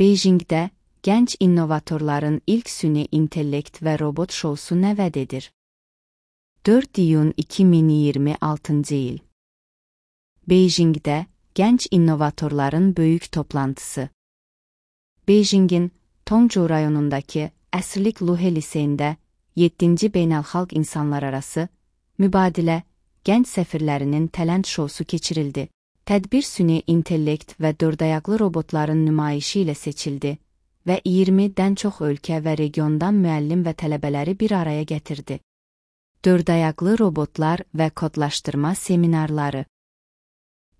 Beyjingdə gənc innovatorların ilk süni intellekt və robot şousu nəvəd edir. 4 iyun 2026 il. Beyjingdə gənc innovatorların böyük toplantısı. Beyjingin Tongzhou rayonundakı əsrlik Luhe liseyində 7-ci beynəlxalq insanlararası mübadilə gənc səfirlərinin tələnt şousu keçirildi. Tədbir süni intellekt və dördayaqlı robotların nümayişi ilə seçildi və 20-dən çox ölkə və regiondan müəllim və tələbələri bir araya gətirdi. Dördayaqlı robotlar və kodlaşdırma seminarları.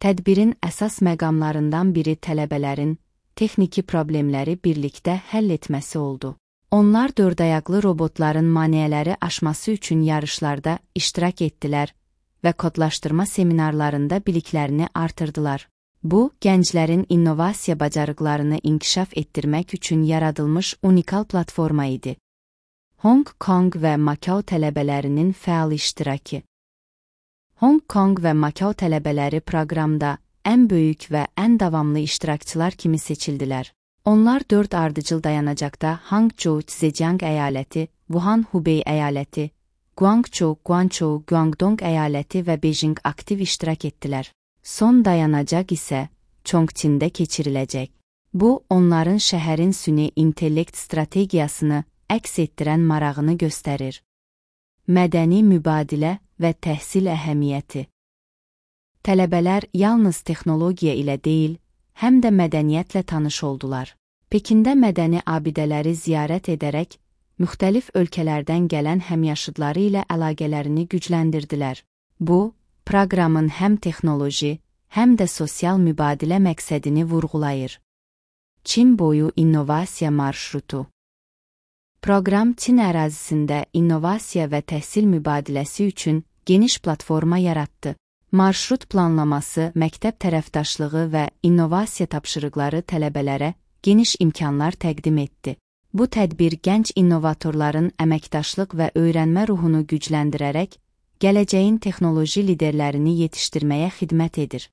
Tədbirin əsas məqamlarından biri tələbələrin texniki problemləri birlikdə həll etməsi oldu. Onlar dördayaqlı robotların maneələri aşması üçün yarışlarda iştirak etdilər və kodlaşdırma seminarlarında biliklərini artırdılar. Bu, gənclərin innovasiya bacarıqlarını inkişaf etdirmək üçün yaradılmış unikal platforma idi. Hong Kong və Makao tələbələrinin fəal iştirakı. Hong Kong və Makao tələbələri proqramda ən böyük və ən davamlı iştirakçılar kimi seçildilər. Onlar 4 ardıcıl dayanacaqda Hangzhou, Zhejiang əyaləti, Wuhan, Hubei əyaləti, Guangzhou, Guangzhou, Guangdong əyaləti və Beyjing aktiv iştirak etdilər. Son dayanacaq isə Chongqingdə keçiriləcək. Bu, onların şəhərin süni intellekt strategiyasını əks etdirən marağını göstərir. Mədəni mübadilə və təhsil əhəmiyyəti. Tələbələr yalnız texnologiya ilə deyil, həm də mədəniyyətlə tanış oldular. Pekində mədəni abidələri ziyarət edərək, müxtəlif ölkələrdən gələn həmyaşıdları ilə əlaqələrini gücləndirdilər. Bu, proqramın həm texnoloji, həm də sosial mübadilə məqsədini vurğulayır. Çin boyu innovasiya marşrutu. Proqram Çin ərazisində innovasiya və təhsil mübadiləsi üçün geniş platforma yaratdı. Marşrut planlaması, məktəb tərəfdaşlığı və innovasiya tapşırıqları tələbələrə geniş imkanlar təqdim etdi. Bu tədbir gənc innovatorların əməkdaşlıq və öyrənmə ruhunu gücləndirərək, gələcəyin texnoloji liderlərini yetişdirməyə xidmət edir.